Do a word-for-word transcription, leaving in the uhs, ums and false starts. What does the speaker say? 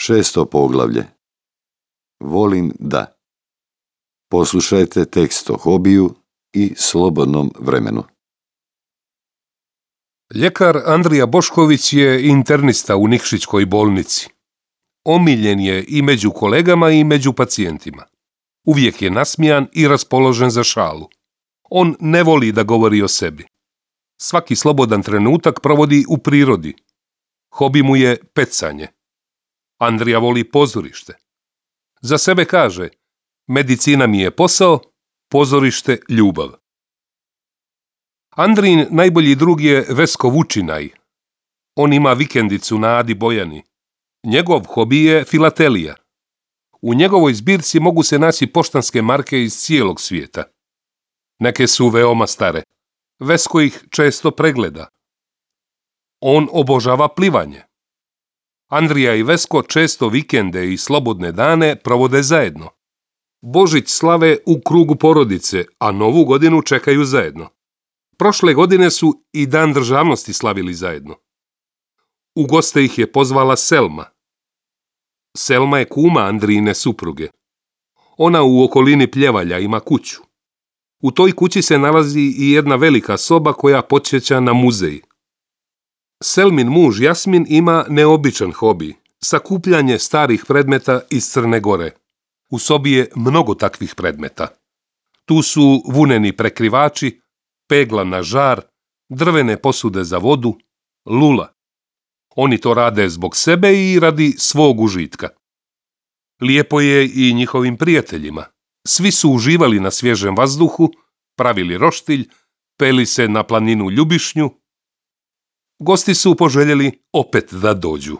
Šesto poglavlje. Volim da. Poslušajte tekst o hobiju i slobodnom vremenu. Ljekar Andrija Bošković je internista u Nikšićkoj bolnici. Omiljen je i među kolegama i među pacijentima. Uvijek je nasmijan i raspoložen za šalu. On ne voli da govori o sebi. Svaki slobodan trenutak provodi u prirodi. Hobi mu je pecanje. Andrija voli pozorište. Za sebe kaže: medicina mi je posao, pozorište ljubav. Andrijin najbolji drug je Vesko Vučinaj. On ima vikendicu na Adi Bojani. Njegov hobi je filatelija. U njegovoj zbirci mogu se naći poštanske marke iz cijelog svijeta. Neke su veoma stare. Vesko ih često pregleda. On obožava plivanje. Andrija i Vesko često vikende i slobodne dane provode zajedno. Božić slave u krugu porodice, a Novu godinu čekaju zajedno. Prošle godine su i Dan državnosti slavili zajedno. U goste ih je pozvala Selma. Selma je kuma Andrijine supruge. Ona u okolini Pljevalja ima kuću. U toj kući se nalazi i jedna velika soba koja podsjeća na muzej. Selmin muž Jasmin ima neobičan hobi, sakupljanje starih predmeta iz Crne Gore. U sobi je mnogo takvih predmeta. Tu su vuneni prekrivači, pegla na žar, drvene posude za vodu, lula. Oni to rade zbog sebe i radi svog užitka. Lijepo je i njihovim prijateljima. Svi su uživali na svježem vazduhu, pravili roštilj, peli se na planinu Ljubišnju. Gosti su poželjeli opet da dođu.